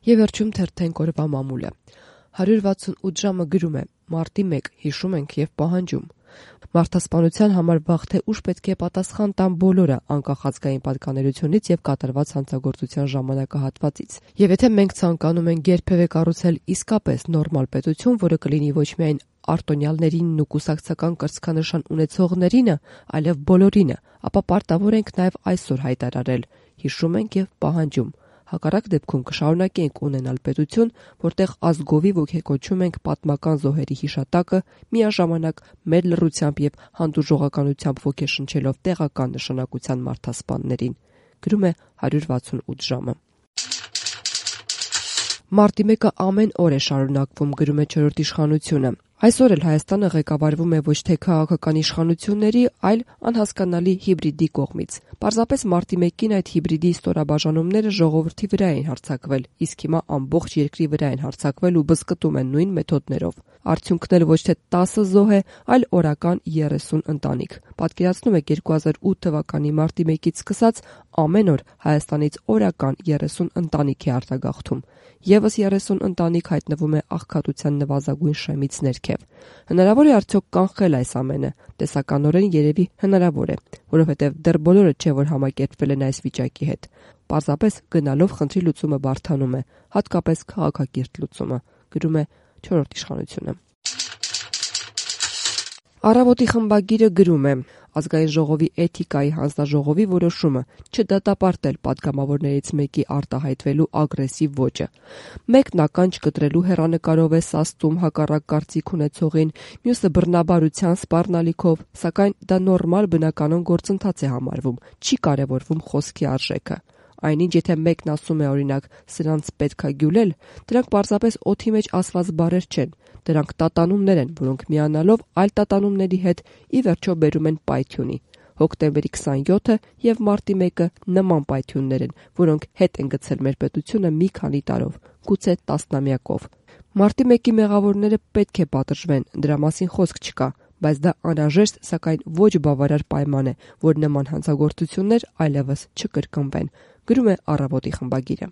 Եվ վերջում թերթենք օրվա մամուլը։ 168 ժամը գրում է. Մարտի 1 հիշում ենք եւ պահանջում։ Մարդասպանության համար վաղ թե ուշ պետք է պատասխան տան բոլորը, անկախ ազգային պատկանելությունից եւ կատարված հանցագործության ժամանակահատվածից։ Եվ եթե մենք ցանկանում ենք երբևէ կառուցել իսկապես նորմալ պետություն, որը կլինի ոչ միայն արտոնյալներին ու կուսակցական կրծքանշան ունեցողներին, այլև բոլորին, ապա պարտավոր ենք նաեւ այսօր հայտարարել. հիշում ենք եւ պահանջում։ Հակառակ դեպքում կշարունակենք ունենալ պետություն, որտեղ ազգովի ոգեկոչում ենք պատմական զոհերի հիշատակը, միաժամանակ մեր լռությամբ եւ հանդուրժողականությամբ ոգեշնչելով տեղական նշանակության մարդասպաններին։ Գրում է 168 ժամը։ Մարտի 1-ը ամեն օր է շարունակվում, գրում է Չորրորդ իշխանությունը։ Այսօր էլ Հայաստանը ղեկավարվում է ոչ թե քաղաքական իշխանությունների, այլ անհասկանալի հիբրիդի կողմից։ Պարզապես մարտի 1-ին այդ հիբրիդի ստորաբաժանումները ժողովրդի վրա են հարձակվել, իսկ հիմա ամբողջ երկրի վրա են հարձակվել ու բզկտում են նույն մեթոդներով։ Արդյունքն էլ ոչ թե 10 զոհ է, այլ օրական 30 ընտանիք։ Պատկերացնում եք 2008 թվականի մարտի 1-ից սկսած ամեն օր Հայաստանից օրական 30 ընտանիք է արտագաղթում։ Եվս 30 ընտանիք հայտնվում է աղքատության նվազագույն շեմից ներքև։ Հնարավոր է արդյոք կանխել այս ամենը։ Տեսականորեն երևի հնարավոր է, որովհետև դեռ բոլորը չէ, որ համակերպվել են այս վիճակի հետ։ Պարզապես գնալով խնդրի լուծումը բարդանում է, հատկապես քաղաքակիրթ լուծումը, գրում է Չորրորդ իշխանությունը։ Առավոտի խմբագիրը գրում է. Ազգային ժողովի էթիկայի հանձնաժողովի որոշումը չդատապարտել падգամավորներից մեկի արտահայտվելու ագրեսիվ ոճը։ Մեկն ականջ կտրելու հեռանկարով է սաստում հակառակ կարծիք ունեցողին, մյուսը բռնաբարության սպառնալիքով, սակայն դա նորմալ բնականon գործընթաց է համարվում, չի կարևորվում խոսքի արժեքը։ Այնինչ եթե մեկն ասում է օրինակ սրանց պետքա գյուլել, դրանք պարզապես օդի մեջ ասված բառեր չեն, դրանք տատանումներ են, որոնք միանալով այլ տատանումների հետ ի վերջո բերում են պայթյունի։ Հոկտեմբերի 27-ը եւ մարտի 1-ը նման պայթյուններ են, որոնք հետ են գցել մեր պետությունը մի քանի տարով, գուցե տասնամյակով։ Մարտի 1-ի մեղավորները պետք է պատժվեն, դրա մասին խոսք չկա, բայց դա անհրաժեշտ, սակայն ոչ բավարար պայման է, որ նման հանցագործություններ այլևս չկրկնվեն, գրում է Առավոտի խմբագիրը։